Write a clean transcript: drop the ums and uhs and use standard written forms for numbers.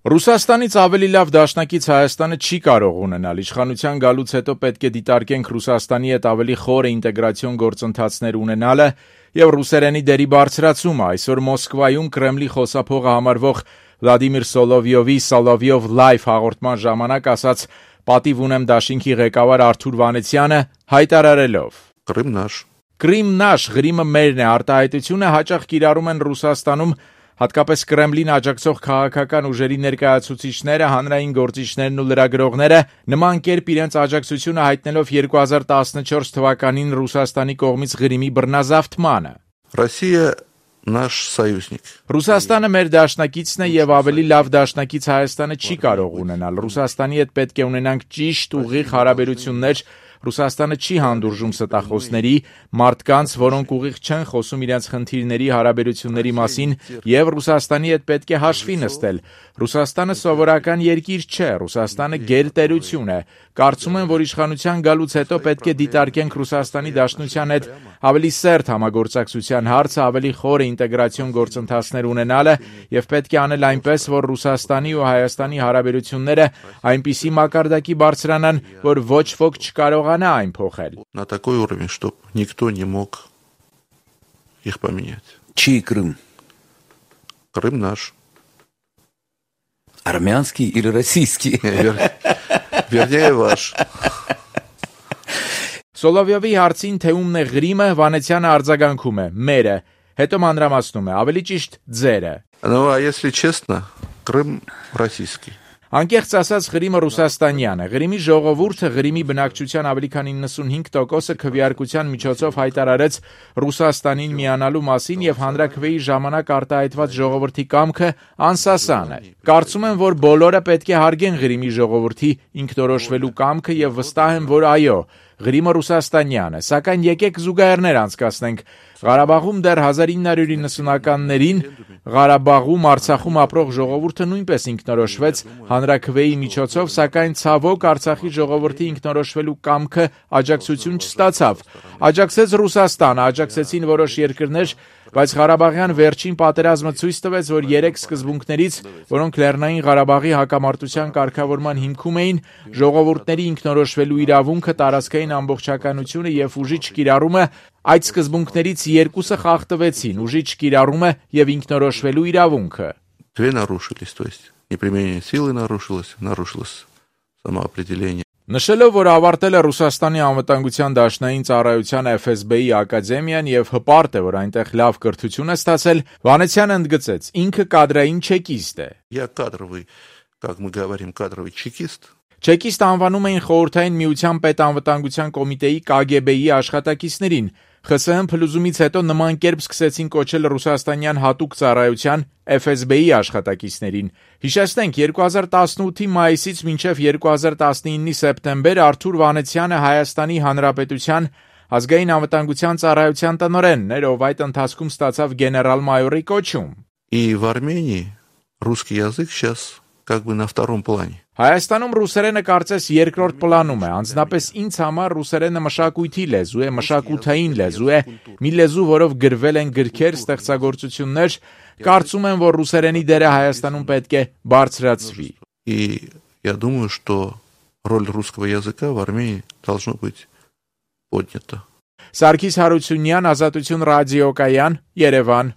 Ռուսաստանից ավելի լավ դաշնակից Հայաստանը չի կարող ունենալ։ Իշխանության գալուց հետո պետք է դիտարկենք Ռուսաստանի հետ ավելի խորը ինտեգրացիոն գործընթացներ ունենալը եւ ռուսերենի դերի բարձրացումը։ Այսօր Մոսկվայում Կրեմլի խոսափողը համարվող Վլադիմիր Սոլովյով Live հաղորդման ժամանակ ասաց «Պատիվ ունեմ դաշինքի ղեկավար Արթուր Վանեցյանը» հայտարարելով. «Կրիմ նаш, Ղրիմը մերն է» արտահայտությունը հաճախ կիրառում են Ռուսաստանում հատկապես Կրեմլին աջակցող քաղաքական ուժերի ներկայացուցիչները, հանրային գործիչներն ու լրագրողները, նման կերպ իրենց աջակցությունը հայտնելով 2014 թվականին Ռուսաստանի կողմից Ղրիմի բռնազավթմանը։ Ռուսաստանը մեր դաշնակիցն է եւ ավելի լավ դաշնակից Հայաստանը չի կարող ունենալ։ Ռուսաստանի հետ պետք է ունենանք ճիշտ, ուղիղ հարաբերություններ։ Ռուսաստանը չի հանդուրժում ստախոսների, մարդկանց, որոնք ուղիղ չեն խոսում իրենց խնդիրների, հարաբերությունների մասին, եւ Ռուսաստանի հետ պետք է հաշվի նստել։ Ռուսաստանը սովորական երկիր չէ, Ռուսաստանը գերտերություն է։ Կարծում եմ, որ իշխանության գալուց հետո պետք է դիտարկենք Ռուսաստանի Դաշնության հետ ավելի սերտ համագործակցության հարցը, ավելի խորը ինտեգրացիոն գործընթացներ ունենալը եւ պետք է անել այնպես, որ Ռուսաստանի ու Հայաստանի հարաբերությունները այնպիսի մակարդակի բարձրանան, որ ոչ ոք չկարողանա այն փոխել։ На такой уровень, чтобы никто не мог их поменять. Чей Крым? Крым наш. Армянский или российский? Вернее, ваш. Սոլովյովի հարցին թե ումն է Ղրիմը, Վանեցյանը արձագանքում է՝ մերը, հետո մանրամասնում է, ավելի ճիշտ ձերը։ Ну, а если честно, Крым российский. Անկեղծ ասած Ղրիմը ռուսաստանյան է։ Ղրիմի ժողովուրդը Ղրիմի բնակչության ավելի քան 95%-ը քվեարկության միջոցով հայտարարեց Ռուսաստանին միանալու մասին եւ հանրաքվեի ժամանակ արտահայտված ժողովրդի կամքը անսասան է։ Կարծում եմ, որ բոլորը պետք է հարգեն Ղրիմի ժողովրդի ինքնորոշվելու կամքը եւ վստահ եմ, որ այո, Ղրիմը ռուսաստանյան է, սակայն եկեք զուգահեռներ անցկացնենք։ Ղարաբաղում դեռ 1990-ականներին Ղարաբաղում, Արցախում ապրող ժողովուրդը նույնպես ինքնորոշվեց հանրաքվեի միջոցով, սակայն ցավոք Արցախի ժողովրդի ինքնորոշվելու կամքը աջակցություն չստացավ։ Աջակցեց Ռուսաստանը, աջակցեցին որոշ երկրներ, բայց Ղարաբաղյան վերջին պատերազմը ցույց տվեց, որ 3 սկզբունքներից, որոնք Լեռնային Ղարաբաղի հակամարտության կարգավորման հիմքում էին, ժողովուրդների ինքնորոշվելու իրավունքը, տարածքային ամբողջականությունը եւ ուժի չկիրառումը, այդ սկզբունքներից 2-ը խախտվեցին՝ ուժի չկիրառումը եւ ինքնորոշվելու իրավունքը։ Две нарушились, то есть неприменение силы нарушилось самоопределение. Նշելով, որ ավարտել է Ռուսաստանի անվտանգության դաշնային ծառայության FSB-ի ակադեմիան եւ հպարտ է, որ այնտեղ լավ կրթություն է ստացել, Վանեցյանը ընդգծեց, ինքը կադրային չեկիստ է։ Я кадровый, как мы говорим, кадровый чекист. Չեկիստ անվանում էին Խորհրդային Միության պետանվտանգության կոմիտեի KGB-ի աշխատակիցներին։ ԽՍՀՄ փլուզումից հետո նման կերպ սկսեցին կոչել ռուսաստանյան հատուկ ծառայության FSB-ի աշխատակիցներին։ Հիշեցնենք, 2018-ի մայիսից մինչև 2019-ի սեպտեմբեր Արթուր Վանեցյանը Հայաստանի Հանրապետության ազգային անվտանգության ծառայության տնօրենն էր, ով այդ ընթացքում ստացավ գեներալ-մայորի կոչում։ И в Армении русский язык сейчас как бы на втором плане. Հայաստանում ռուսերենը կարծես երկրորդ պլանում է, անձնապես ինձ համար ռուսերենը մշակույթի լեզու է, мշակութային լեզու է, մի լեզու, որով գրվել են գրքեր, ստեղծագործություններ, կարծում եմ, որ ռուսերենի դերը Հայաստանում պետք է բարձրացվի։ И я думаю, что роль русского языка в Армении должно быть поднята. Սարգիս Հարությունյան, Ազատություն ռադիոկայան, Երևան։